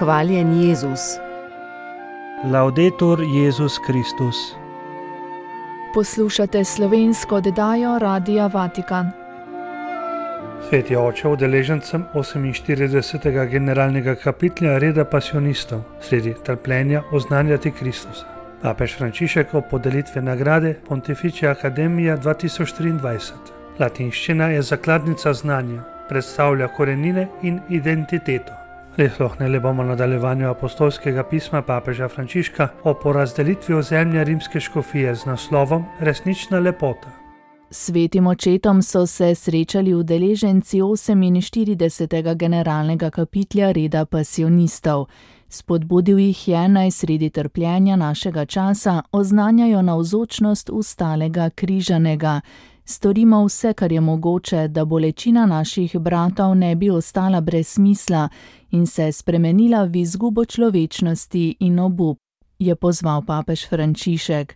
Hvaljen Jezus. Laudetur Jezus Kristus. Poslušate slovensko oddajo Radia Vatikan. Sveti oče udeležencem 48. generalnega kapitla reda pasionistov sredi trpljenja oznanjati Kristusa. Papež Frančišek ob podelitvi nagrade Pontificia Academia 2023. Latinščina je zakladnica znanja, predstavlja korenine in identiteto. Prisluhnili bomo nadaljevanju apostolskega pisma papeža Frančiška o porazdelitvi ozemlja rimske škofije z naslovom Resnična lepota. Svetim očetom so se srečali udeleženci 48. generalnega kapitla reda pasionistov. Spodbudil jih je, naj sredi trpljenja našega časa oznanjajo navzočnost ustalega križanega. Storimo vse, kar je mogoče, da bolečina naših bratov ne bi ostala brez smisla in se spremenila v izgubo človečnosti in obup, je pozval papež Frančišek.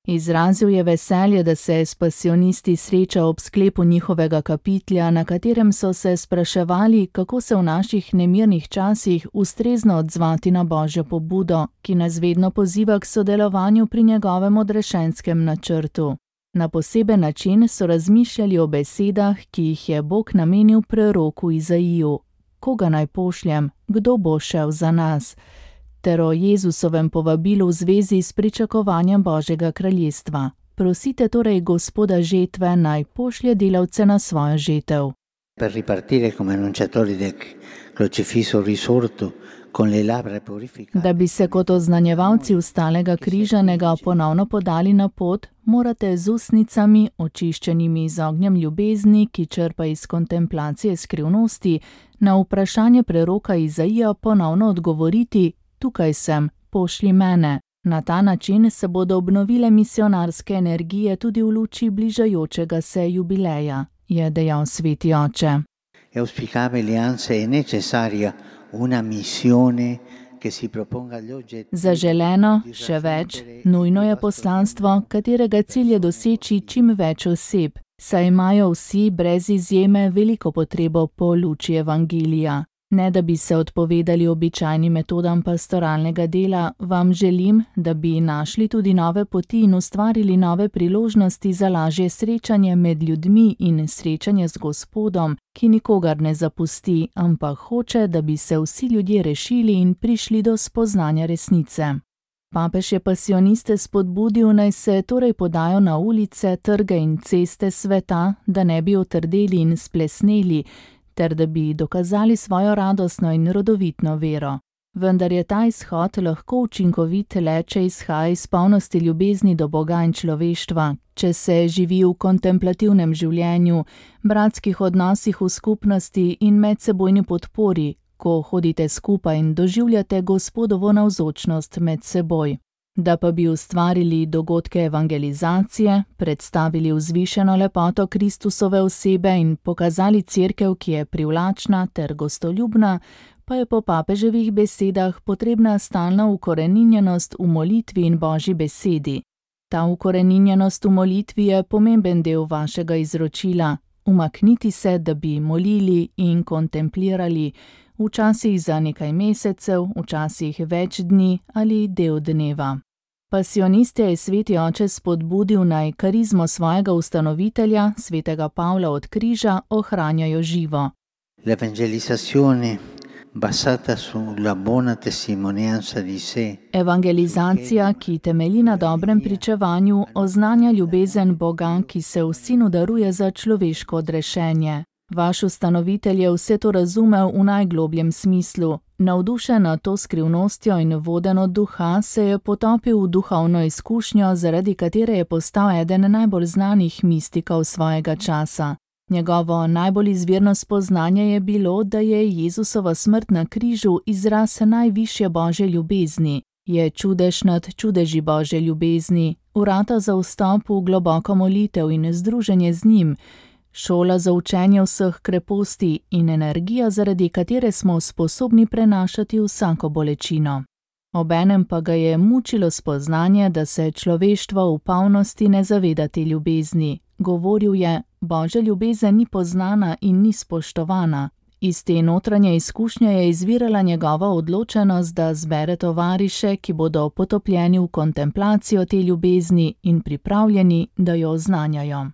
Izrazil je veselje, da se s pasionisti sreča ob sklepu njihovega kapitla, na katerem so se spraševali, kako se v naših nemirnih časih ustrezno odzvati na Božjo pobudo, ki nas vedno poziva k sodelovanju pri njegovem odrešenskem načrtu. Na poseben način so razmišljali o besedah, ki jih je Bog namenil preroku Izaiju. Koga naj pošljem? Kdo bo šel za nas? Ter o Jezusovem povabilu v zvezi s pričakovanjem Božjega kraljestva. Prosite torej Gospoda žetve, naj pošlje delavce na svojo žetev. Per ripartire come annunciatori del crocifisso risorto con le labbra purificate. Da bi se kot oznanjevalci ustalega križanega ponovno podali na pot, morate z ustnicami, očiščenimi z ognjem ljubezni, ki črpa iz kontemplacije skrivnosti, na vprašanje preroka Izaija ponovno odgovoriti: tukaj sem, pošlji mene. Na ta način se bodo obnovile misionarske energije tudi v luči bližajočega se jubileja, je dejal sveti oče. Auspicabile anzi è necessaria una missione che si proponga agli oggetti. Zaželeno, še več, nujno je poslanstvo, katerega cilj je doseči čim več oseb, saj imajo vsi brez izjeme veliko potrebo po luči evangelija. Ne da bi se odpovedali običajnim metodam pastoralnega dela, vam želim, da bi našli tudi nove poti in ustvarili nove priložnosti za lažje srečanje med ljudmi in srečanje z Gospodom, ki nikogar ne zapusti, ampak hoče, da bi se vsi ljudje rešili in prišli do spoznanja resnice. Papež je pasioniste spodbudil, naj se torej podajo na ulice, trge in ceste sveta, da ne bi otrdeli in splesneli, ter da bi dokazali svojo radostno in rodovitno vero. Vendar je ta izhod lahko učinkovit le, če izhaja iz polnosti ljubezni do Boga in človeštva, če se živi v kontemplativnem življenju, bratskih odnosih v skupnosti in medsebojni podpori, ko hodite skupaj in doživljate Gospodovo navzočnost med seboj. Da pa bi ustvarili dogodke evangelizacije, predstavili vzvišeno lepoto Kristusove osebe in pokazali cerkev, ki je privlačna ter gostoljubna, pa je po papeževih besedah potrebna stalna ukoreninjenost v molitvi in Božji besedi. Ta ukoreninjenost v molitvi je pomemben del vašega izročila. Umakniti se, da bi molili in kontemplirali, včasih za nekaj mesecev, včasih več dni ali del dneva. Pasioniste je sveti oče spodbudil, naj karizmo svojega ustanovitelja, svetega Pavla od križa, ohranjajo živo. L'evangelizzazione basata sulla buona testimonianza di sé. Evangelizacija, ki temelji na dobrem pričevanju, oznanja ljubezen Boga, ki se v Sinu daruje za človeško odrešenje. Vaš ustanovitelj je vse to razumel v najglobljem smislu. Navdušen nad to skrivnostjo in voden od duha se je potopil v duhovno izkušnjo, zaradi katere je postal eden najbolj znanih mistikov svojega časa. Njegovo najbolj izvirno spoznanje je bilo, da je Jezusova smrt na križu izraz najvišje Božje ljubezni. Je čudež nad čudeži Božje ljubezni, vrata za vstop v globoko molitev in združenje z njim, šola za učenje vseh kreposti in energija, zaradi katere smo sposobni prenašati vsako bolečino. Obenem pa ga je mučilo spoznanje, da se človeštvo v polnosti ne zaveda te ljubezni. Govoril je: Božja ljubezen ni poznana in ni spoštovana. Iz te notranje izkušnje je izvirala njegova odločenost, da zbere tovariše, ki bodo potopljeni v kontemplacijo te ljubezni in pripravljeni, da jo oznanjajo.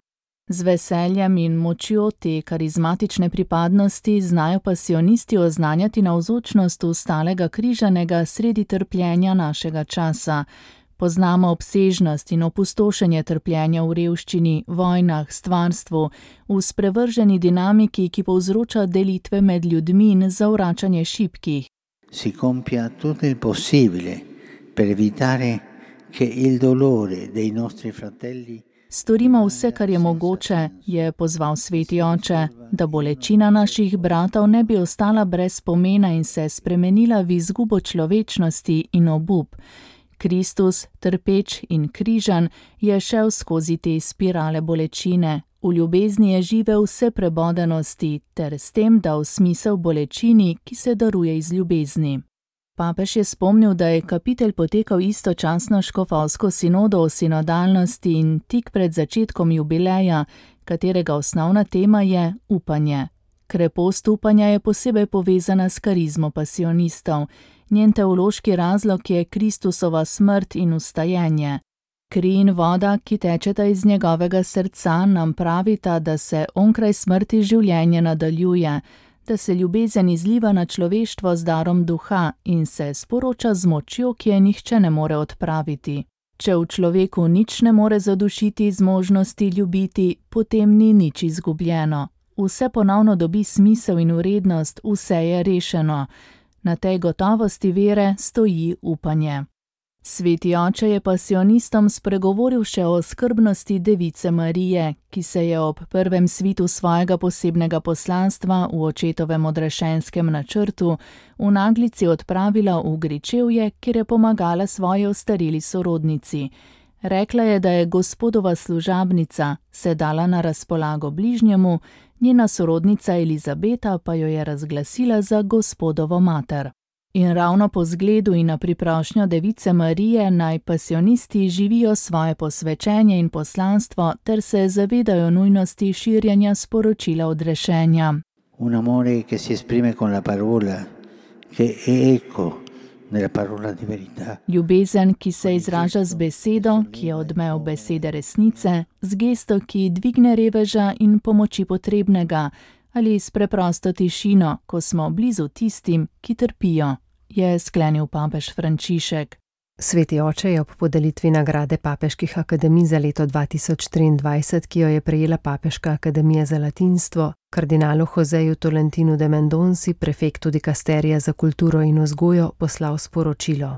Z veseljem in močjo te karizmatične pripadnosti znajo pasionisti oznanjati navzočnost ustalega križanega sredi trpljenja našega časa. Poznamo obsežnost in opustošenje trpljenja v revščini, vojnah, stvarstvu, v sprevrženi dinamiki, ki povzroča delitve med ljudmi in zavračanje šibkih. Si compia tutto il possibile per evitare che il dolore dei nostri fratelli. Storimo vse, kar je mogoče, je pozval sveti oče, da bolečina naših bratov ne bi ostala brez pomena in se spremenila v izgubo človečnosti in obup. Kristus, trpeč in križan, je šel skozi te spirale bolečine. V ljubezni je živel vse prebodenosti, ter s tem dal smisel bolečini, ki se daruje iz ljubezni. Papež je spomnil, da je kapitelj potekal istočasno s škofovsko sinodo o sinodalnosti in tik pred začetkom jubileja, katerega osnovna tema je upanje. Krepost upanja je posebej povezana s karizmo pasionistov. Njen teološki razlog je Kristusova smrt in vstajenje. Kri in voda, ki tečeta iz njegovega srca, nam pravita, da se onkraj smrti življenje nadaljuje, da se ljubezen izliva na človeštvo z darom duha in se sporoča z močjo, ki je nihče ne more odpraviti. Če v človeku nič ne more zadušiti z možnosti ljubiti, potem ni nič izgubljeno. Vse ponovno dobi smisel in vrednost, vse je rešeno. Na tej gotovosti vere stoji upanje. Sveti oče je pasionistom spregovoril še o skrbnosti device Marije, ki se je ob prvem svitu svojega posebnega poslanstva v očetovem odrešenskem načrtu v naglici odpravila v Gričevje, kjer je pomagala svoji ostareli sorodnici. Rekla je, da je Gospodova služabnica, se dala na razpolago bližnjemu, njena sorodnica Elizabeta pa jo je razglasila za Gospodovo mater. In ravno po zgledu in na priprošnjo device Marije naj pasionisti živijo svoje posvečenje in poslanstvo ter se zavedajo nujnosti širjenja sporočila odrešenja. Un amore che si esprime con la parola, che è eco nella parola di verità. Ljubezen, ki se izraža z besedo, ki je odmev besede resnice, z gesto, ki dvigne reveža in pomoči potrebnega, ali s preprosto tišino, ko smo blizu tistim, ki trpijo, je sklenil papež Frančišek. Sveti oče je ob podelitvi nagrade papeških akademij za leto 2023, ki jo je prejela Papeška akademija za latinstvo, kardinalu Joseju Tolentinu de Mendonci, prefektu dikasterija za kulturo in vzgojo, poslal sporočilo.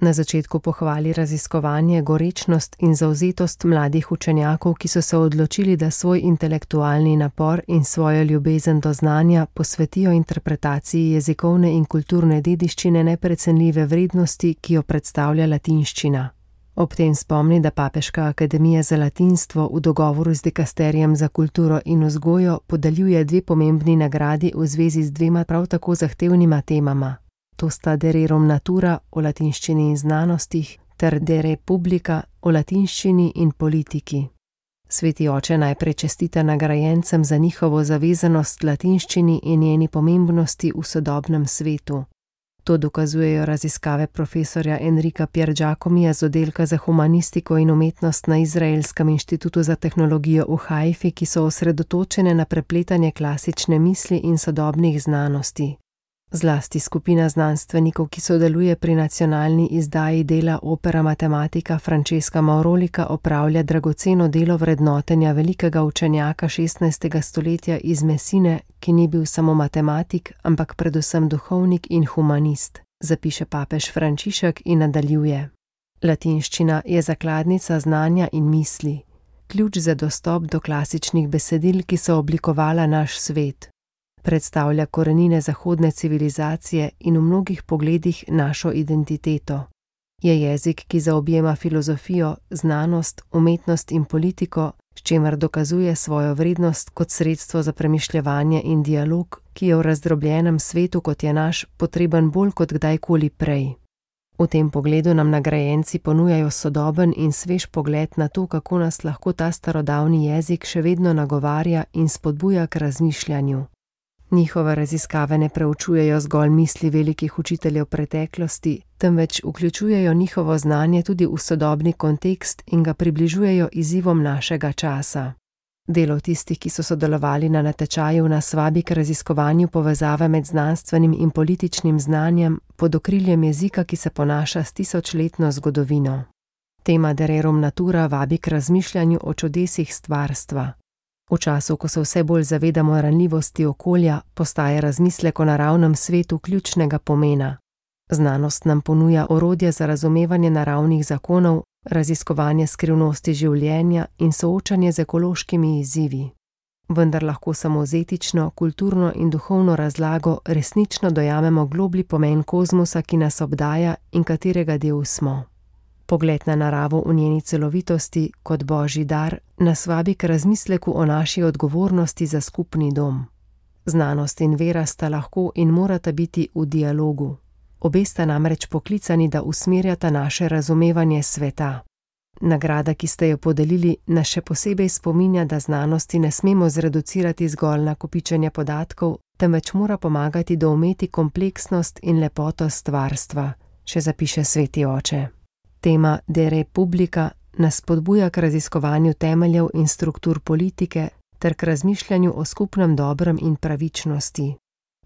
Na začetku pohvali raziskovanje, gorečnost in zavzetost mladih učenjakov, ki so se odločili, da svoj intelektualni napor in svojo ljubezen do znanja posvetijo interpretaciji jezikovne in kulturne dediščine neprecenljive vrednosti, ki jo predstavlja latinščina. Ob tem spomni, da Papeška akademija za latinstvo v dogovoru z dikasterijem za kulturo in vzgojo podeljuje 2 pomembni nagradi v zvezi z 2 prav tako zahtevnima temama. To sta De rerum natura o latinščini in znanostih ter De re publica o latinščini in politiki. Sveti oče najprej čestita nagrajencem za njihovo zavezanost latinščini in njeni pomembnosti v sodobnem svetu. To dokazujejo raziskave profesorja Enrika Piergiacomija z oddelka za humanistiko in umetnost na Izraelskem inštitutu za tehnologijo v Haifi, ki so osredotočene na prepletanje klasične misli in sodobnih znanosti. Zlasti skupina znanstvenikov, ki sodeluje pri nacionalni izdaji dela Opera Matematica Francesca Maurolica, opravlja dragoceno delo vrednotenja velikega učenjaka 16. stoletja iz Messine, ki ni bil samo matematik, ampak predvsem duhovnik in humanist, zapiše papež Frančišek in nadaljuje. Latinščina je zakladnica znanja in misli, ključ za dostop do klasičnih besedil, ki so oblikovala naš svet. Predstavlja korenine zahodne civilizacije in v mnogih pogledih našo identiteto. Je jezik, ki zaobjema filozofijo, znanost, umetnost in politiko, s čimer dokazuje svojo vrednost kot sredstvo za premišljevanje in dialog, ki je v razdrobljenem svetu, kot je naš, potreben bolj kot kdajkoli prej. V tem pogledu nam nagrajenci ponujajo sodoben in svež pogled na to, kako nas lahko ta starodavni jezik še vedno nagovarja in spodbuja k razmišljanju. Njihove raziskave ne preučujejo zgolj misli velikih učiteljev preteklosti, temveč vključujejo njihovo znanje tudi v sodobni kontekst in ga približujejo izzivom našega časa. Delo tistih, ki so sodelovali na natečaju, nas vabi k raziskovanju povezave med znanstvenim in političnim znanjem pod okriljem jezika, ki se ponaša s tisočletno zgodovino. Tema De rerum natura vabi k razmišljanju o čudesih stvarstva. V času, ko se vse bolj zavedamo ranljivosti okolja, postaje razmislek o naravnem svetu ključnega pomena. Znanost nam ponuja orodje za razumevanje naravnih zakonov, raziskovanje skrivnosti življenja in soočanje z ekološkimi izzivi. Vendar lahko samo z etično, kulturno in duhovno razlago resnično dojamemo globlji pomen kozmosa, ki nas obdaja in katerega del smo. Pogled na naravo v njeni celovitosti kot božji dar nas vabi k razmisleku o naši odgovornosti za skupni dom. Znanost in vera sta lahko in morata biti v dialogu. Obe sta namreč poklicani, da usmerjata naše razumevanje sveta. Nagrada, ki ste jo podelili, nas še posebej spominja, da znanosti ne smemo zreducirati zgolj na kopičenje podatkov, temveč mora pomagati doumeti kompleksnost in lepoto stvarstva, še zapiše sveti oče. Tema De Republica nas spodbuja k raziskovanju temeljev in struktur politike ter k razmišljanju o skupnem dobrem in pravičnosti.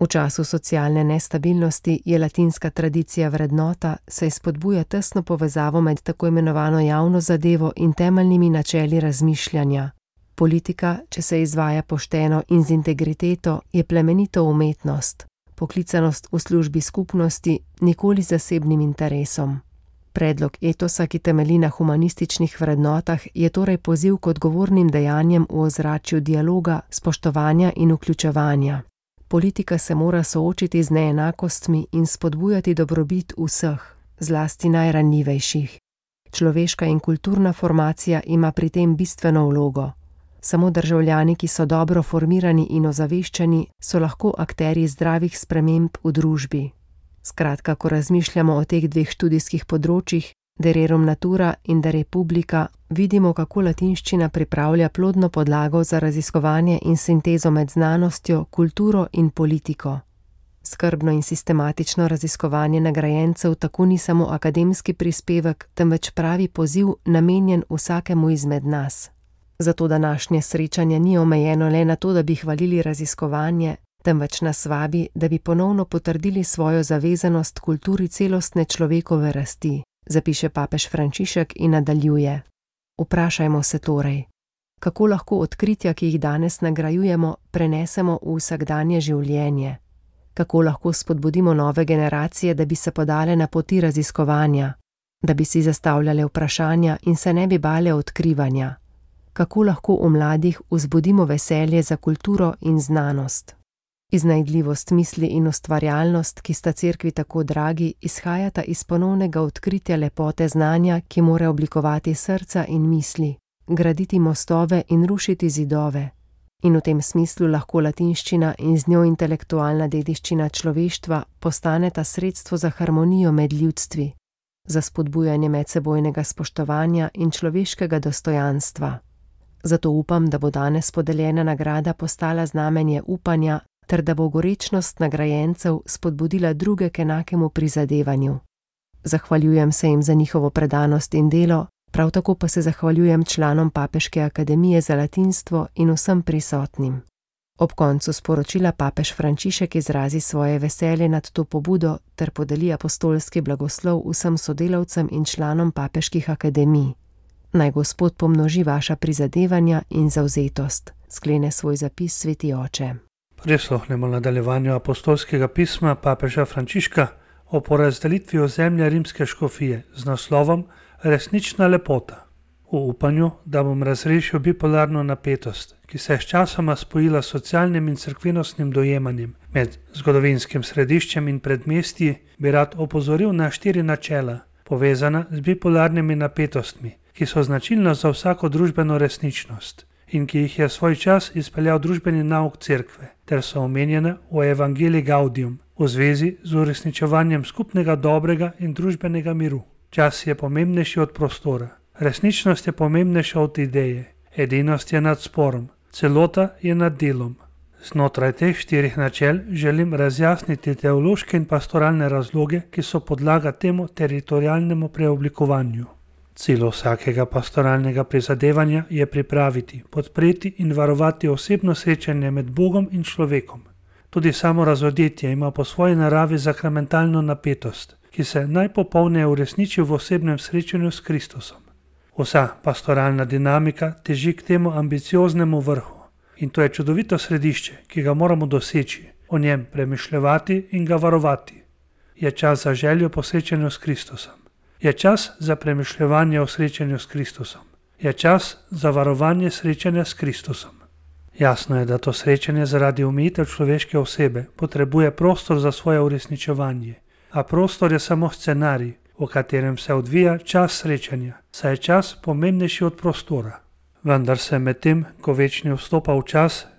V času socialne nestabilnosti je latinska tradicija vrednota, saj spodbuja tesno povezavo med tako imenovano javno zadevo in temeljnimi načeli razmišljanja. Politika, če se izvaja pošteno in z integriteto, je plemenito umetnost, poklicanost v službi skupnosti, nikoli zasebnim interesom. Predlog etosa, ki temelji na humanističnih vrednotah, je torej poziv k odgovornim dejanjem v ozračju dialoga, spoštovanja in vključevanja. Politika se mora soočiti z neenakostmi in spodbujati dobrobit vseh, zlasti najranljivejših. Človeška in kulturna formacija ima pri tem bistveno vlogo. Samo državljani, ki so dobro formirani in ozaveščeni, so lahko akterji zdravih sprememb v družbi. Skratka, ko razmišljamo o teh dveh študijskih področjih, De rerum natura in De Republica, vidimo, kako latinščina pripravlja plodno podlago za raziskovanje in sintezo med znanostjo, kulturo in politiko. Skrbno in sistematično raziskovanje nagrajencev tako ni samo akademski prispevek, temveč pravi poziv, namenjen vsakemu izmed nas. Zato današnje srečanje ni omejeno le na to, da bi hvalili raziskovanje, temveč nas vabi, da bi ponovno potrdili svojo zavezanost kulturi celostne človekove rasti, zapiše papež Frančišek in nadaljuje. Vprašajmo se torej, kako lahko odkritja, ki jih danes nagrajujemo, prenesemo v vsakdanje življenje? Kako lahko spodbudimo nove generacije, da bi se podale na poti raziskovanja, da bi si zastavljale vprašanja in se ne bi bale odkrivanja? Kako lahko v mladih vzbudimo veselje za kulturo in znanost? Iznajdljivost misli in ustvarjalnost, ki sta cerkvi tako dragi, izhajata iz ponovnega odkritja lepote znanja, ki mora oblikovati srca in misli, graditi mostove in rušiti zidove. In v tem smislu lahko latinščina in z njo intelektualna dediščina človeštva postaneta sredstvo za harmonijo med ljudstvi, za spodbujanje medsebojnega spoštovanja in človeškega dostojanstva. Zato upam, da bo danes podeljena nagrada postala znamenje upanja, ter da bo gorečnost nagrajencev spodbudila druge k enakemu prizadevanju. Zahvaljujem se jim za njihovo predanost in delo, prav tako pa se zahvaljujem članom Papeške akademije za latinstvo in vsem prisotnim. Ob koncu sporočila papež Frančišek izrazi svoje veselje nad to pobudo ter podeli apostolski blagoslov vsem sodelavcem in članom papeških akademij. Naj Gospod pomnoži vaša prizadevanja in zavzetost, sklene svoj zapis sveti oče. Prisluhnemo nadaljevanju apostolskega pisma papeža Frančiška o porazdelitvi ozemlja rimske škofije z naslovom Resnična lepota. V upanju, da bom razrešil bipolarno napetost, ki se je sčasoma spojila s socialnim in cerkvenostnim dojemanjem med zgodovinskim središčem in predmestji, bi rad opozoril na 4 načela, povezana z bipolarnimi napetostmi, ki so značilna za vsako družbeno resničnost in ki jih je svoj čas izpeljal družbeni nauk cerkve, ter so omenjene v Evangelii Gaudium v zvezi z uresničevanjem skupnega dobrega in družbenega miru. Čas je pomembnejši od prostora, resničnost je pomembnejša od ideje, edinost je nad sporom, celota je nad delom, Znotraj teh 4 načel želim razjasniti teološke in pastoralne razloge, ki so podlaga temu teritorialnemu preoblikovanju. Cilj vsakega pastoralnega prizadevanja je pripraviti, podpreti in varovati osebno srečanje med Bogom in človekom. Tudi samo razodetje ima po svoji naravi sakramentalno napetost, ki se najpopolneje uresniči v osebnem srečanju s Kristusom. Vsa pastoralna dinamika teži k temu ambicioznemu vrhu. In to je čudovito središče, ki ga moramo doseči, o njem premišljevati in ga varovati. Je čas za željo po srečanju s Kristusom. Je čas za premišljevanje o srečanju s Kristusom. Je čas za varovanje srečanja s Kristusom. Jasno je, da to srečanje zaradi omejitev človeške osebe potrebuje prostor za svoje uresničevanje, a prostor je samo scenarij, v katerem se odvija čas srečanja, saj je čas pomembnejši od prostora. Vendar se medtem, ko večni vstopa v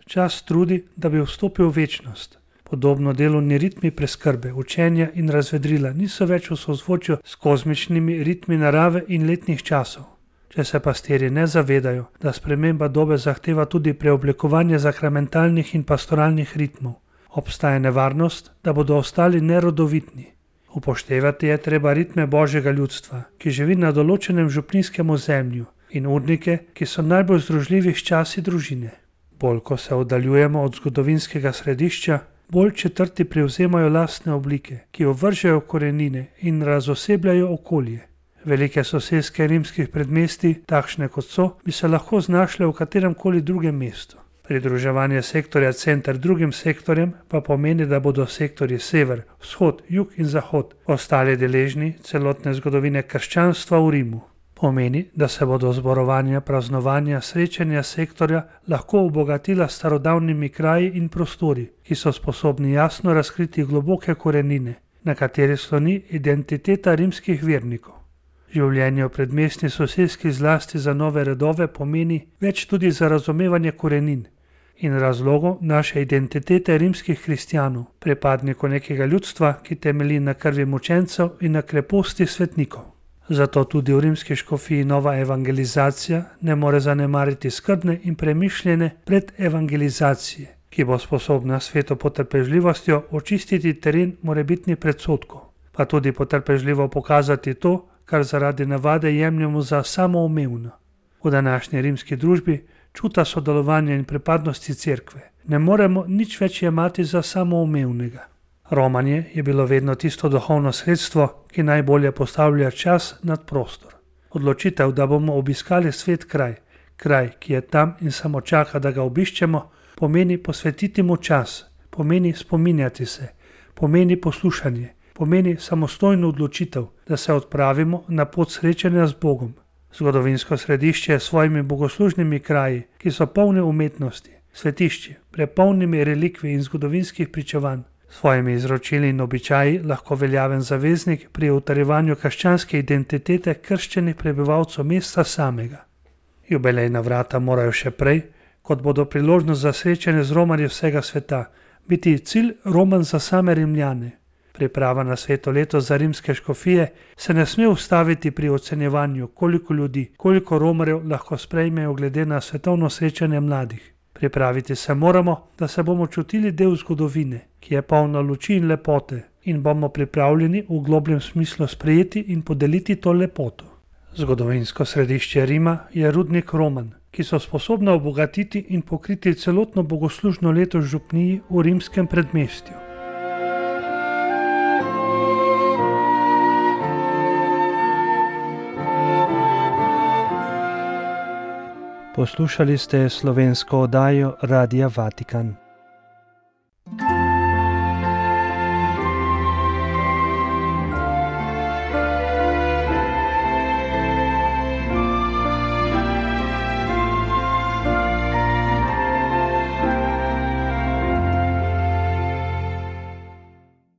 čas trudi, da bi vstopil v večnost. Podobno delovni ritmi preskrbe, učenja in razvedrila niso več v sozvočju s kozmičnimi ritmi narave in letnih časov. Če se pastirji ne zavedajo, da sprememba dobe zahteva tudi preoblikovanje sakramentalnih in pastoralnih ritmov, obstaja nevarnost, da bodo ostali nerodovitni. Upoštevati je treba ritme Božjega ljudstva, ki živi na določenem župninskem ozemlju, in urnike, ki so najbolj združljivi s časi družine. Bolj ko se oddaljujemo od zgodovinskega središča, bolj četrti prevzemajo lastne oblike, ki ovržejo korenine in razosebljajo okolje. Velike soseske rimskih predmestij, takšne kot so, bi se lahko znašle v kateremkoli drugem mestu. Pridruževanje sektorja center drugim sektorjem pa pomeni, da bodo sektorji sever, vzhod, jug in zahod ostali deležni celotne zgodovine krščanstva v Rimu. Pomeni, da se bodo zborovanja, praznovanja, srečanja sektorja lahko obogatila s starodavnimi kraji in prostori, ki so sposobni jasno razkriti globoke korenine, na kateri sloni identiteta rimskih vernikov. Življenje v predmestni soseski zlasti za nove redove pomeni več tudi za razumevanje korenin in razlogov naše identitete rimskih kristjanov, pripadnikov nekega ljudstva, ki temelji na krvi mučencev in na kreposti svetnikov. Zato tudi v rimski škofiji nova evangelizacija ne more zanemariti skrbne in premišljene predevangelizacije, ki bo sposobna sveto potrpežljivostjo očistiti teren morebitnih predsodkov, pa tudi potrpežljivo pokazati to, kar zaradi navade jemljemo za samoumevno. V današnji rimski družbi čuta sodelovanja in pripadnosti cerkve ne moremo nič več jemati za samoumevnega. Romanje je bilo vedno tisto duhovno sredstvo, ki najbolje postavlja čas nad prostor. Odločitev, da bomo obiskali svet kraj, ki je tam in samo čaka, da ga obiščemo, pomeni posvetiti mu čas, pomeni spominjati se, pomeni poslušanje, pomeni samostojno odločitev, da se odpravimo na pot srečanja z Bogom. Zgodovinsko središče je s svojimi bogoslužnimi kraji, ki so polne umetnosti, svetišči, prepolnimi relikvij in zgodovinskih pričevanj, svojimi izročili in običaji lahko veljaven zaveznik pri utrjevanju krščanske identitete krščenih prebivalcev mesta samega. Jubilejna vrata morajo še prej, kot bodo priložnost za srečanje z romarji vsega sveta, biti cilj roman za same Rimljane. Priprava na sveto leto za rimske škofije se ne sme ustaviti pri ocenjevanju, koliko ljudi, koliko romarjev lahko sprejmejo glede na svetovno srečanje mladih. Pripraviti se moramo, da se bomo čutili del zgodovine, ki je polna luči in lepote, in bomo pripravljeni v globljem smislu sprejeti in podeliti to lepoto. Zgodovinsko središče Rima je rudnik Roman, ki so sposobna obogatiti in pokriti celotno bogoslužno leto v župniji v rimskem predmestju. Poslušali ste slovensko oddajo Radia Vatikan.